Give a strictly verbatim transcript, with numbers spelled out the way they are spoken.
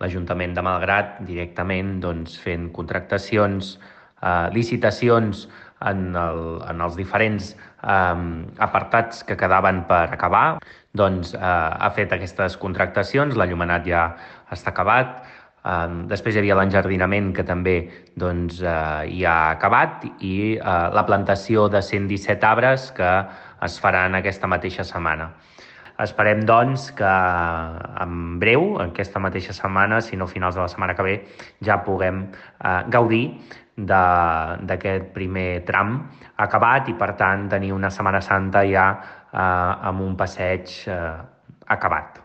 l'Ajuntament de Malgrat directament doncs, fent contractacions, eh, licitacions en, el, en els diferents eh, apartats que quedaven per acabar, doncs eh, ha fet aquestes contractacions, l'enllumenat ja està acabat, eh, després hi havia l'enjardinament que també doncs, eh, ja ha acabat i eh, la plantació de cent disset arbres que es faran aquesta mateixa setmana. Esperem, doncs, que en breu, aquesta mateixa setmana, si no finals de la setmana que ve, ja puguem eh, gaudir d'aquest primer tram acabat i, per tant, tenir una Setmana Santa ja eh, amb un passeig eh, acabat.